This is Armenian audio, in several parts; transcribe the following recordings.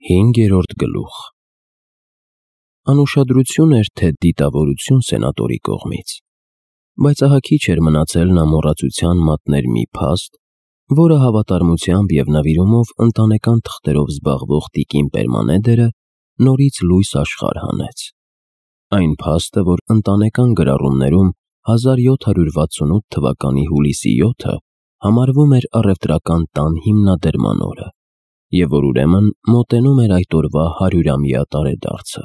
5-րդ գլուխ։ Անուշադրություն էր թե դիտավորություն սենատորի կողմից, բայց ահա քիչ էր մնացել նա մոռացության մատներ մի փաստ, որը հավատարմությամբ և նվիրումով ընտանեկան թղթերով զբաղվող տիկին Պերմանեդերը նորից լույս աշխարհ հանեց։ Այն փաստը, որ ընտանեկան գրառումներում 1768 թվականի հուլիսի 7-ը համարվում էր առևտրական տան հիմնադրման օրը, և որ ուրեմն մոտենում էր այդ օրվա 100-ամյա տարեդարձը։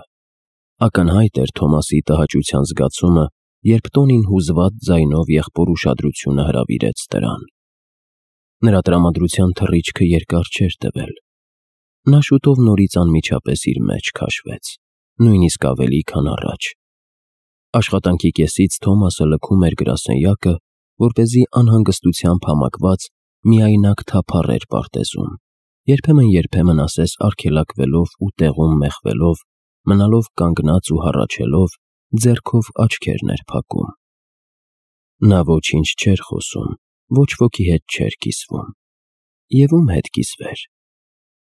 Ակնհայտ էր Թոմասի տհաճության զգացումը, երբ տոնին հուզված ձայնով եղբոր ուշադրությունը հրավիրեց դրան։ Նրա տրամադրության թռիչքը երկար չէր տևել։ Նա շուտով նորից անմիջապես իր մեջ քաշվեց, նույնիսկ ավելի, քան առաջ։ Աշխատանքի կեսից Թոմասը լքում էր գրասենյակը, որպեսզի անհանգստությամբ համակված միայնակ թափառեր պարտեզում, երբեմն ասես արգելակվելով ու տեղում մեխվելով, մնալով կանգնած ու հառաչելով, ձեռքով աչքերն էր փակում։ Նա ոչինչ չէր խոսում, ոչ ոքի հետ չէր կիսվում։ Եվ ում հետ կիսվեր։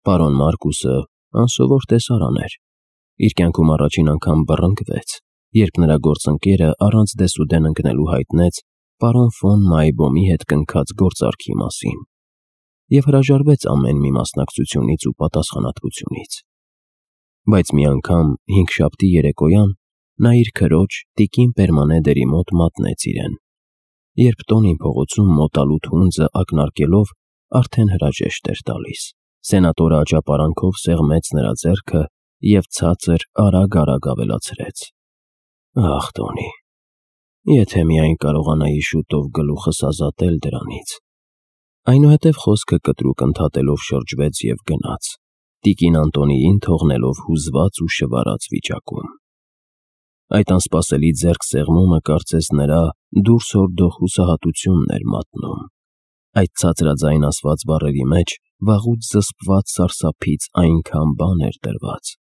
Պարոն Մարկուսը անսովոր տեսարան էր։ Իր կյանքում առաջին անգամ բռնկվեց, երբ նրա գործընկերը առանց դեսուդեն ընկնելու հայտնեց պարոն ֆոն Մայբոմի հետ կնքած գործարքի մասին և հրաժարվեց ամեն մի մասնակցությունից ու պատասխանատվությունից։ Բայց մի անգամ հինգշաբթի երեկոյան նա իր քրոջ տիկին Պերմանեդերի մոտ մատնեց իրեն, երբ տոնին փողոցում մոտալուտ հունձը ակնարկելով արդեն հրաժեշտ էր տալիս։ Սենատորը աճապարանքով սեղմեց նրա ձեռքը և ցածր արագ ավելացրեց. «Ախ, Տոնի, եթե միայն կարողանայի շուտով գլուխս ազատել դրանից»։ Այնուհետև խոսքը կտրուկ ընդհատելով շրջվեց և գնաց, տիկին Անտոնիին թողնելով հուզված ու շվարած վիճակում։ Այդ անսպասելի ձեռքսեղմումը կարծես նրա դուրս հորդող հուսահատությունն էր մատնում։ Այդ ցածրաձայն ասված բառերի մեջ վաղուց զսպված սարսափից այնքան բան էր դրված։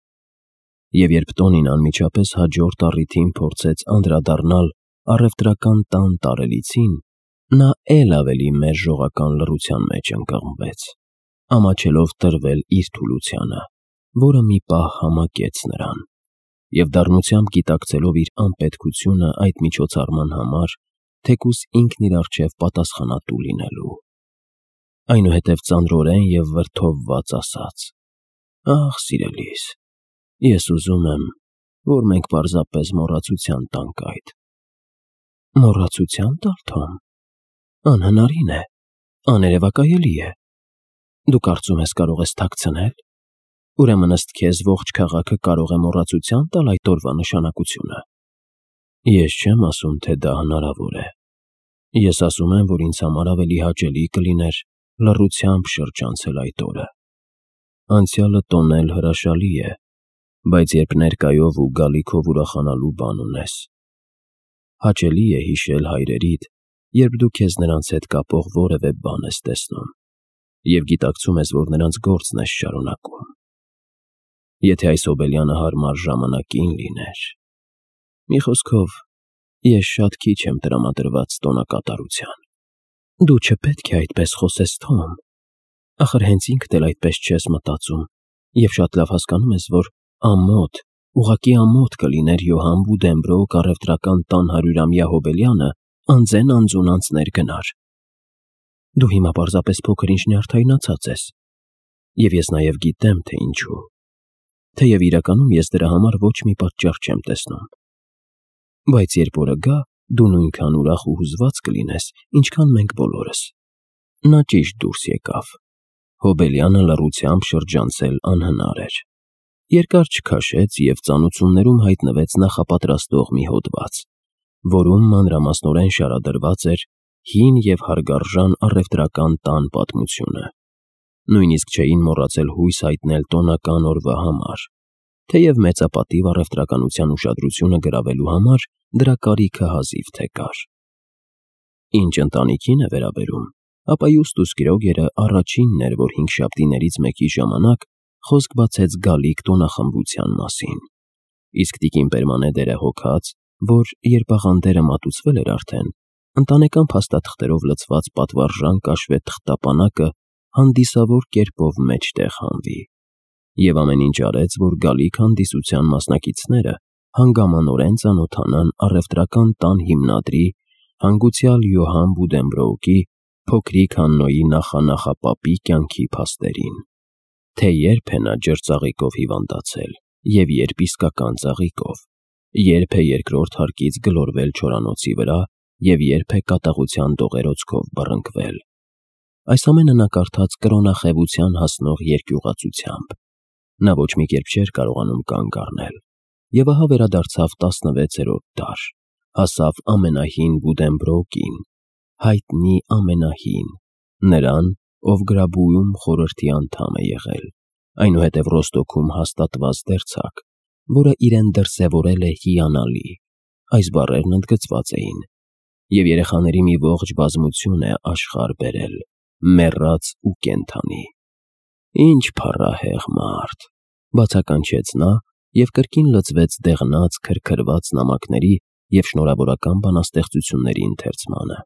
Եվ երբ Տոնին անմիջապես հաջորդ առիթին փորձեց անդրադառնալ առևտրական տան տարելիցին, նա էլ ավելի մերժողական լռության մեջ ընկղմվեց, ամաչելով տրվել իր թուլությանը, որը մի պահ համակեց նրան, և դառնությամբ գիտակցելով իր անպետքությունը այդ միջոցառման համար, թեկուզ ինքն իր առջև պատասխանատու լինելու։ Այնուհետև ծանրորեն և վրդովված ասաց. «Ախ, սիրելիս, ես ուզում եմ, որ մենք պարզապես մոռացության տանք այդ»։ Մոռացության տալ, Թոմ։ Անհնարին է, աներևակայելի է։ Դու կարծում ես կարող ես թաքցնել։ Ուրեմն ըստ քեզ ողջ քաղաքը կարող է մոռացության տալ այդ օրվա նշանակությունը։ Ես չեմ ասում, թե դա հնարավոր է։ Ես ասում եմ, որ ինձ համար ավելի հաճելի կլիներ լռությամբ շրջանցել այդ օրը։ Անցյալը տոնել հրաշալի է, բայց երբ ներկայով ու գալիքով ուրախանալու բան ունես։ Հաճելի է հիշել հայրերիդ, երբ դու քեզ նրանց հետ կապող որևէ բան ես տեսնում, և գիտակցում ես, որ նրանց գործն ես շարունակում։ Եթե այս հոբելյանը հարմար ժամանակին լիներ։ Մի խոսքով, ես շատ քիչ եմ տրամադրված տոնակատարության։ Դու չպետք է այդպես խոսես, Թոմ։ Ախր հենց ինքդ էլ այդպես չես մտածում և շատ լավ հասկանում ես, որ ամոթ, ուղղակի ամոթ կլիներ Յոհան Վուդենբրոկ առևտրական տան 100-ամյա հոբելյանը անձեն անձունանց ներգնար։ Դու հիմա պարզապես փոքր-ինչ նյարդայնացած ես, և ես նաև գիտեմ, թե ինչու, թեև իրականում ես դրա համար ոչ մի պատճառ չեմ տեսնում։ Բայց երբ օրը գա, դու նույնքան ուրախ ու հուզված կլինես, ինչքան մենք բոլորս։ Նա ճիշտ դուրս եկավ։ Հոբելյանը լռությամբ շրջանցել անհնար էր։ Երկար չքաշեց և ծանոթություններում հայտնվեց նախապատրաստող մի հոդված, որում մանրամասնորեն շարադրված էր հին և հարգարժան առևտրական տան պատմությունը։ Նույնիսկ չէին մոռացել հույս հայտնել տոնական օրվա համար, թեև մեծապատիվ առևտրականության ուշադրությունը գրավելու համար դրա կարիքը հազիվ թե կար։ Ինչ ընտանիքին է վերաբերում, ապա Յուստուս Գրոգերը առաջինն էր, որ հինգշաբթիներից մեկի ժամանակ խոսք բացեց գալիք տոնախմբության մասին, իսկ տիկին Պերմանեդերը հոգաց, որ երբ աղանդերը մատուցվել էր արդեն, ընտանեկան փաստաթղթերով լցված պատվարժան կաշվե թղթապանակը հանդիսավոր կերպով մեջտեղ հանվի։ Եվ ամեն ինչ արեց, որ գալիք հանդիսության մասնակիցները հանգամանորեն ծանոթանան առևտրական տան հիմնադրի հանգուցյալ Յոհան Բուդենբրոուկի փոքրիկ Հաննոյի նախանախապապի կյանքի փաստերին, թե երբ է նա ջրծաղիկով հիվանդացել և երբ իսկական ծաղիկով, երբ է երկրորդ հարկից գլորվել չորանոցի վրա և երբ է կատաղության դողերոցքով բռնկվել։ Այս ամենը նա կարդաց կրոնախևության հասնող երկյուղացությամբ։ Նա ոչ մի կերպ չէր կարողանում կանգ առնել, և ահա վերադարձավ 16-րդ դար, հասավ ամենահին Բուդենբրոուկին, հայտնի ամենահին, նրան, ով Գրաբույում խորհրդի անդամ է եղել, այնուհետև Ռոստոքում հաստատված դերձակ, որը իրեն դրսևորել է հիանալի, այս բառերն ընդգծված էին, և երեխաների մի ողջ բազմություն է աշխարհ բերել, մեռած ու կենդանի։ Ինչ փառահեղ մարդ, բացականչեց նա և կրկին լծվեց դեղնած, քրքրված նամակների և շնորհավորական բանաստեղծությունների ընթերցմանը։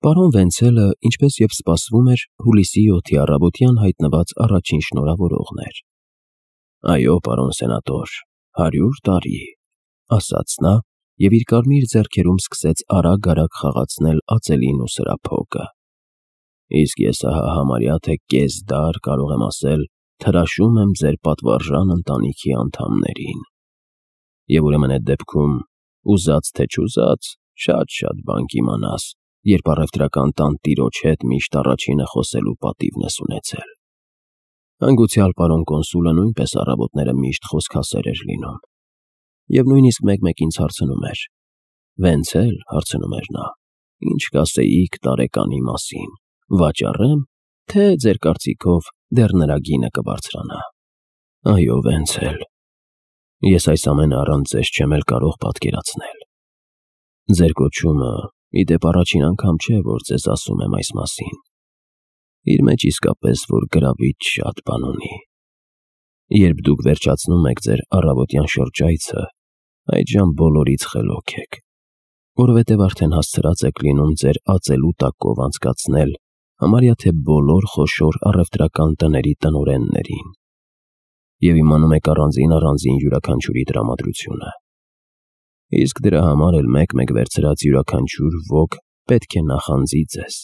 Պարոն Վենցելը, ինչպես և սպասվում էր, հուլիսի 7-ի առավոտյան հայտնված առաջին շնորհավորողն էր։ «Այո, պարոն սենատոր, 100 տարի», ասաց նա և իր կարմիր ձեռքերում սկսեց արագ-արագ խաղացնել ածելին ու սրափոկը։ «Իսկ ես ահա համարյա թե կես դար, կարող եմ ասել, թրաշում եմ ձեր պատվարժան ընտանիքի անդամներին։ Եվ ուրեմն այդ դեպքում, ուզած թե չուզած, շատ բան կիմանաս, երբ առևտրական տան տիրոջ հետ միշտ առաջինը խոսելու պատիվն ես ունեցել»։ Հանգուցյալ պարոն կոնսուլը նույնպես առավոտները միշտ խոսքասեր էր լինում, և նույնիսկ մեկ-մեկ ինձ հարցնում էր. «Վենցել, հարցնում էր նա, ինչ կասեիք տարեկանի մասին, վաճառե՞մ, թե ձեր կարծիքով դեռ նրա գինը կբարձրանա»։ «Այո, Վենցել, ես այս ամենը առանց ձեզ չեմ էլ կարող պատկերացնել։ Ձեր կոչումը, ի դեպ, առաջին անգամ չէ, որ ձեզ ասում եմ այս մասին։ Իր մեջ իսկապես որ գրավիչ շատ բան ունի։ Երբ դուք վերջացնում եք ձեր առավոտյան շրջայցը, այդժամ բոլորից խելոք եք, որովհետև արդեն հասցրած եք լինում ձեր ածելու տակով անցկացնել համարյա թե բոլոր խոշոր առևտրական տների տնօրեններին, և իմանում եք առանձին յուրաքանչյուրի տրամադրությունը։ Իսկ դրա համար էլ մեկ-մեկ վերցրած յուրաքանչյուր ոք պետք է նախանձի ձեզ,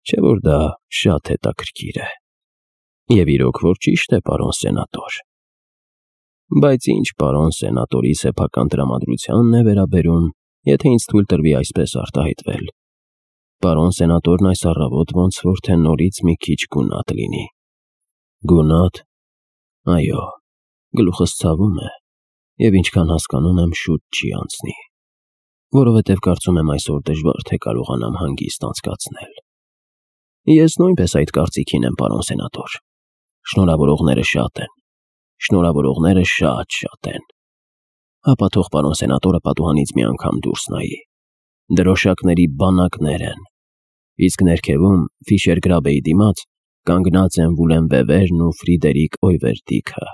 չէ՞ որ դա շատ հետաքրքիր է։ Եվ իրոք որ ճիշտ է, պարոն սենատոր։ Բայց ինչ պարոն սենատորի սեփական տրամադրությանն է վերաբերում, եթե ինձ թույլ տրվի այսպես արտահայտվել, պարոն սենատորն այս առավոտ ոնց որ թե նորից մի քիչ գունատ լինի։ Գունատ։ Այո, գլուխս ցավում է, և ինչքան հասկանում եմ, շուտ չի անցնի, որովհետև կարծում եմ այսօր դժվար թե կարողանամ հանգիստ անցկացնել։ Ես նույնպես այդ կարծիքին եմ, պարոն սենատոր։ Շնորհավորողները շատ են, շնորհավորողները շատ են։ Հապա թող պարոն սենատորը պատուհանից մի անգամ դուրս նայի։ Դրոշակների բանակներ են, իսկ ներքևում, Ֆիշեր-Գրաբեի դիմաց, կանգնած են Վուլեն Վևերն ու Ֆրիդերիկ Օյվերդիքը,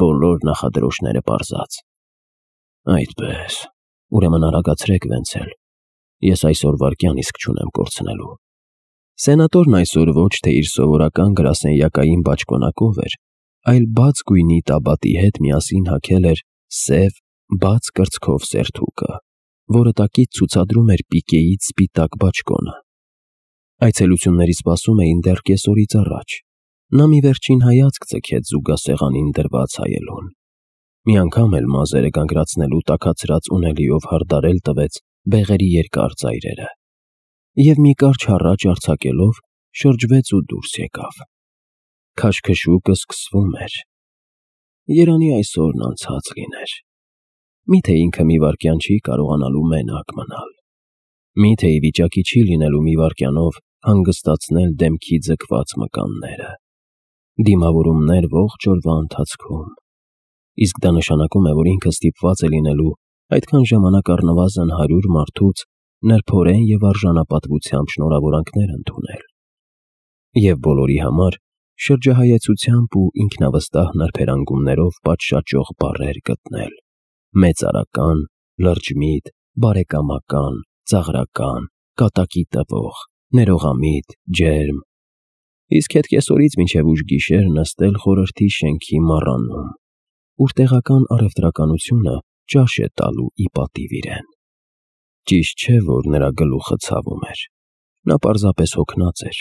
բոլոր նախադրոշները պարզած։ Այդպես, ուրեմն արագացրեք, Վենցել, ես այսօր վայրկյան իսկ չունեմ կորցնելու։ Սենատորն այսօր ոչ թե իր սովորական գրասենյակային բաճկոնակով էր, այլ բաց գույնի տաբատի հետ միասին հագել էր սև, բաց կրծքով սերթուկը, որը տակից ցուցադրում էր պիկեից սպիտակ բաճկոնը։ Այցելությունների սպասում էին դեռ կեսօրից առաջ։ Նա մի վերջին հայացք ձգեց զուգասեղանին դրված հայելուն։ Մի անգամ էլ մազերը կանգնացնելու տաքացրած ունելիով հարդարել տվեց բեղերի երկար ծայրերը, և մի կարճ հառաչ արձակելով շրջվեց ու դուրս եկավ։ Քաշքշուկը սկսվում էր։ Երանի այսօրն անցած լիներ։ Միթե ինքը մի վայրկյան չի կարողանալու մենակ մնալ։ Միթե ի վիճակի չի լինելու մի վայրկյանով հանգստացնել դեմքի ձգված մկանները։ Դիմավորումներ ողջ օրվա ընթացքում։ Իսկ դա նշանակում է, որ ինքը ստիպված է լինելու այդքան ժամանակ առնվազն 100 մարդուց նրբորեն և արժանապատվությամբ շնորհավորանքներ ընդունել։ Եվ բոլորի համար շրջահայեցությամբ ու ինքնավստահ նրբերանգումներով պատշաճող բառեր գտնել. մեծարական, լրջմիտ, բարեկամական, ծաղրական, կատակի տվող, ներողամիտ, ջերմ, իսկ հետ կեսօրից մինչև ուշ գիշեր նստել խորհրդի շենքի մառանում, ուր տեղական առևտրականությունը ճաշ է տալու ի պատիվ իրեն։ Ճիշտ չէ, որ նրա գլուխը ցավում էր, նա պարզապես հոգնած էր,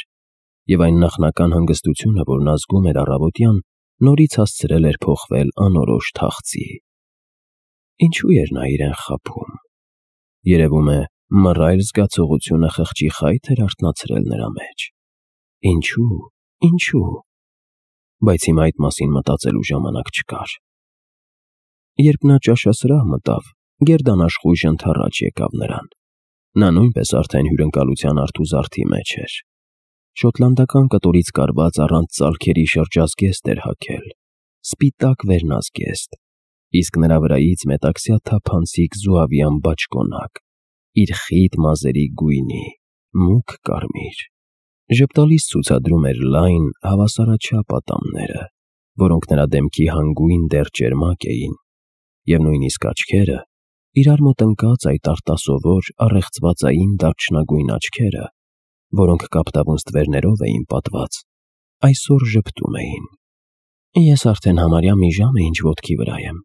և այն նախնական հանգստությունը, որն ազգում էր առավոտյան, նորից հասցրել էր փոխվել անորոշ թախծի։ Ինչու էր նա իրեն խաբում։ Երևում է, մռայլ զգացողությունը խղճի խայթ էր արթնացրել նրա մեջ։ Ինչու։ Բայց հիմա այդ մասին մտածելու ժամանակ չկար։ Երբ նա ճաշասրահ մտավ, գերդանաշխույժ ընդառաջ եկավ նրան։ Նա նույնպես արդեն հյուրընկալության արթուզարդի մեջ էր։ Շոտլանդական կտորից կարված առանց ծալքերի շրջազգեստ էր հագել, սպիտակ վերնազգեստ, իսկ նրա վրայից մետաքսյա թափանցիկ զուավյան բաճկոնակ, իր խիտ մազերի գույնի, մուգ կարմիր։ Ժպտալից ցուցադրում էր լայն, հավասարաչափ ատամները, որոնք նրա դեմքի հանգույն դեռ ճերմակ էին, և նույնիսկ աչքերը, իրար մոտ ընկած այդ արտասովոր առեղծվածային դարչնագույն աչքերը, որոնք կապտավուն ստվերներով էին պատված, այսօր ժպտում էին։ Ես արդեն համարյա մի ժամ է ինչ ոտքի վրա եմ։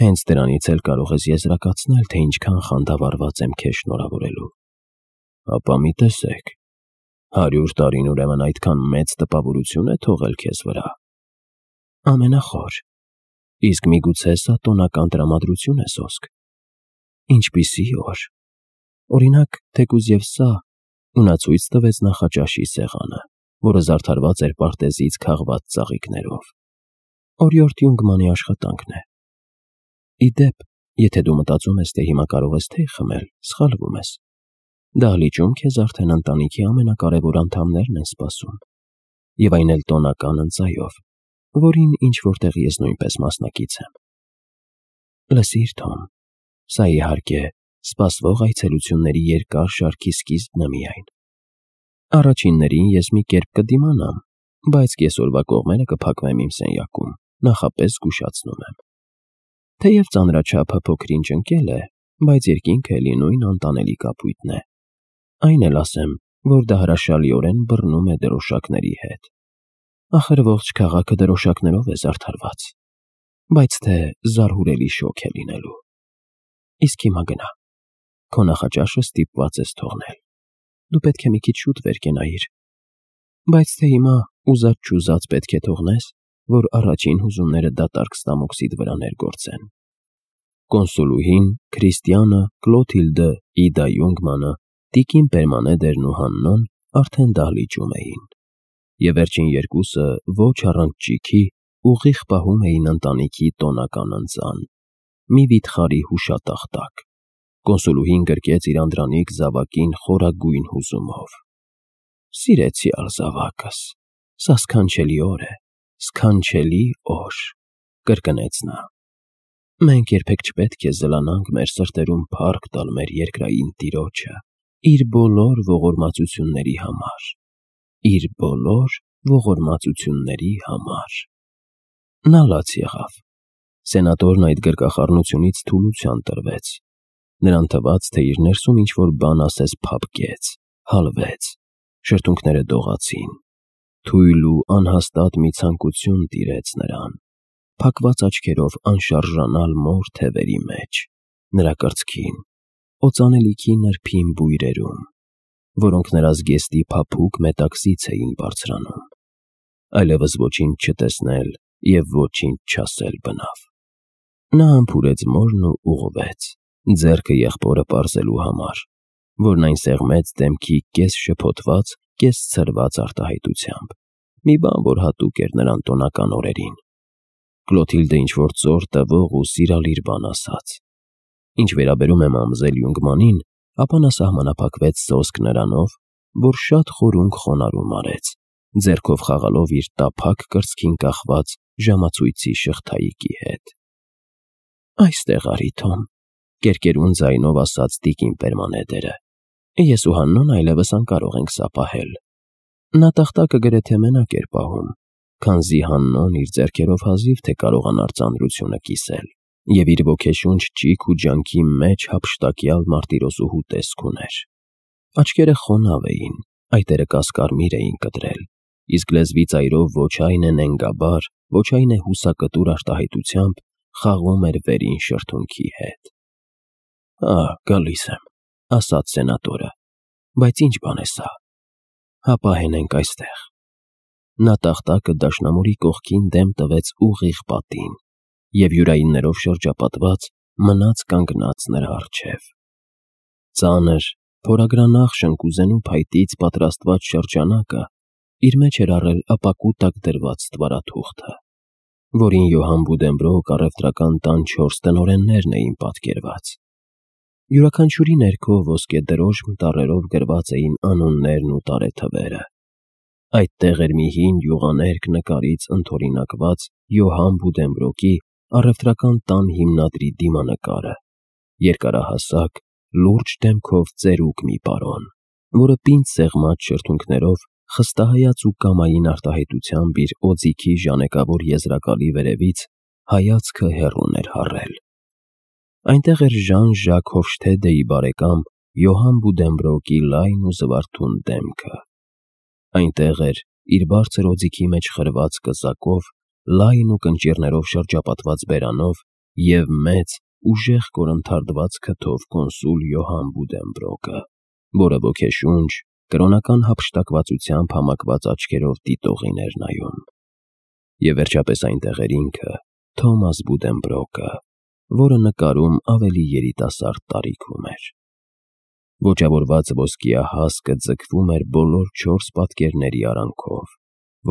Հենց դրանից էլ կարող ես եզրակացնել, թե ինչքան խանդավառված եմ քեզ շնորհավորելու։ Ապա մի տեսեք, 100 տարին ուրեմն այդքան մեծ տպավորություն է թողել քեզ վրա։ Ամենախոր։ Իսկ միգուցե սա տոնական տրամադրություն է սոսկ։ Ինչպիսի օր։ Օրինակ, թեկուզ և սա, ու նա ցույց տվեց նախաճաշի սեղանը, որը զարդարված էր պարտեզից քաղված ծաղիկներով։ Օրիորդ Յունգմանի աշխատանքն է։ Ի դեպ, եթե դու մտածում ես, թե հիմա կարող ես թեյ խմել, սխալվում ես։ Դահլիճում քեզ արդեն ընտանիքի ամենակարևոր անդամներն են սպասում, և այն էլ տոնական ընծայով, որին ինչ-որտեղ ես նույնպես մասնակից եմ։ Լսիր, Թոմ, սա իհարկե սպասվող այցելությունների երկար շարքի սկիզբն է միայն։ Առաջիններին ես մի կերպ կդիմանամ, բայց կեսօրվա կողմերը կփակվեմ իմ սենյակում, նախապես զգուշացնում եմ։ Թեև ծանրաչափը փոքր-ինչ ընկել է, բայց երկինքը էլի նույն անտանելի կապույտն է։ Այն էլ ասեմ, որ դա հրաշալիորեն բռնում է դրոշակների հետ։ Ախր ողջ քաղաքը դրոշակներով է զարդարված, բայց թե զարհուրելի շոգ է լինելու։ Իսկ հիմա գնա, քո նախաճաշը ստիպված ես թողնել։ Դու պետք է մի քիչ շուտ վեր կենայիր, բայց թե հիմա ուզած-չուզած պետք է թողնես, որ առաջին հուզումները դատարկ ստամոքսիդ վրա ներգործեն։ Կոնսուլուհին, Քրիստիանը, Կլոթիլդը, Իդա Յունգմանը, տիկին Պերմանեդերն ու Հաննոն արդեն դահլիճում էին, և վերջին երկուսը ոչ առանց ճիգի ուղիղ պահում էին ընտանիքի տոնական ընծան, մի վիթխարի հուշատախտակ։ Կոնսուլուհին գրկեց իր անդրանիկ զավակին խորագույն հուզումով։ Սիրեցյալ զավակս, սա սքանչելի օր է, սքանչելի օր, կրկնեց նա։ Մենք երբեք չպետք է զլանանք մեր սրտերում փառք տալ մեր երկրային տիրոջը, իր բոլոր ողորմածությունների համար, իր բոլոր ողորմածությունների համար։ Նա լաց եղավ։ Սենատորն այդ գրկախառնությունից թուլության տրվեց։ Նրան թվաց, թե իր ներսում ինչ-որ բան ասես փափկեց, հալվեց, շրթունքները դողացին, թույլ ու անհաստատ մի ցանկություն տիրեց նրան, փակված աչքերով անշարժանալ մոր թևերի մեջ, նրա կրծքին, օծանելիքի նրբին բույրերում, որոնք նրա զգեստի փափուկ մետաքսից էին բարձրանում, այլևս ոչինչ չտեսնել և ոչինչ չասել բնավ։ Նա համբուրեց մորն ու ուղղվեց, ձեռքը եղբորը պարզելու համար, որն այն սեղմեց դեմքի կես շփոթված, կես ցրված արտահայտությամբ, մի բան, որ հատուկ էր նրան տոնական օրերին։ Կլոթիլդը ինչ-որ ծոր տվող ու սիրալիր բան ասաց։ Ինչ վերաբերում է մամզել Յունգմանին, ապա նա սահմանափակվեց սոսկ նրանով, որ շատ խորունկ խոնարհում արեց, ձեռքով խաղալով իր տափակ կրծքին կախված ժամացույցի շղթայիկի հետ։ Այստեղ արի, Թոմ, կերկերուն ձայնով ասաց տիկին Պերմանեդերը։ Ես ու Հաննոն այլևս անկարող ենք սա պահել։ Նա տախտակը գրեթե մենակ էր պահում, քանզի Հաննոն իր ձեռքերով հազիվ թե կարողանար ծանրությունը կիսել, և իր ոգեշունչ ճիգ ու ջանքի մեջ հափշտակյալ մարտիրոսուհու տեսք ուներ։ Աչքերը խոնավ էին, այտերը կասկարմիր էին կտրել, իսկ լեզվի ծայրով ոչ այն է նենգաբար, ոչ այն է հուսակտուր արտահայտությամբ խաղում էր վերին շրթունքի հետ։ Գալիս եմ, ասաց սենատորը, բայց ինչ բան է սա։ Հապա հենենք այստեղ։ Նա տախտակը դաշնամուրի կողքին դեմ տվեց ուղիղ պատին և յուրայիններով շրջապատված մնաց կանգնած նրա առջև։ Ծանր, փորագրանախ շնկուզենու փայտից պատրաստված շրջանակը իր մեջ էր առել ապակու տակ դրված ստվարաթուղթը, որին Յոհան Բուդենբրոկ առևտրական տան 4 տնօրեններն էին պատկերված։ Յուրաքանչյուրի ներքո ոսկեդրոշմ տառերով գրված էին անուններն ու տարեթվերը։ Այդտեղ էր մի հին յուղաներկ նկարից ընդօրինակված Յոհան Բուդենբրոկի առևտրական տան հիմնադրի դիմանկարը, երկարահասակ, լուրջ դեմքով ծերուկ մի պարոն, որը պինդ սեղմած շրթունքներով խստահայաց ու կամային արտահայտությամբ իր օձիքի ժանեկավոր եզրակալի վերևից հայացքը հեռուն էր հառել։ Այնտեղ էր Ժան-Ժակ Հոֆշթեդեի բարեկամ Յոհան Բուդենբրոկի լայն ու զվարթուն դեմքը։ Այնտեղ էր իր բարձր օձիքի մեջ խրված կզակով, լայն ու կնճիռներով շրջապատված բերանով և մեծ, ուժեղ կորնթարդված քթով կոնսուլ Յոհան Բուդենբրոկը, որը ոգեշունչ, կրոնական հափշտակվածությամբ համակված աչքերով դիտողին էր նայում։ Եվ վերջապես այնտեղ էր ինքը, Թոմաս Բուդենբրոկը, որը նկարում ավելի երիտասարդ տարիքում էր։ Ոճավորված ոսկյա հասկը ձգվում էր բոլոր 4 պատկերների արանքով,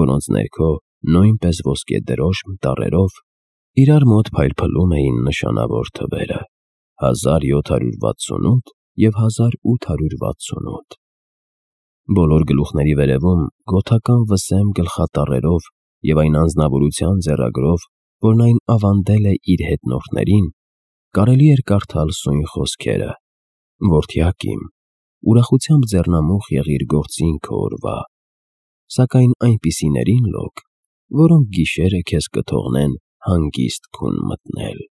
որոնց ներքո նույնպես ոսկեդրոշմ տառերով իրար մոտ փայլփլում էին նշանավոր թվերը՝ 1768 և 1868։ Բոլոր գլուխների վերևում գոթական վսեմ գլխատառերով և այն անձնավորության ձեռագրով, որն այն ավանդել է իր հետնորդներին, կարելի էր կարդալ սույն խոսքերը. «Որդյակ իմ, ուրախությամբ ձեռնամուխ եղիր գործին քո օրվա, սակայն այնպիսիներին լոք, որոնք գիշերը քեզ կթողնեն հանգիստ քուն մտնել»։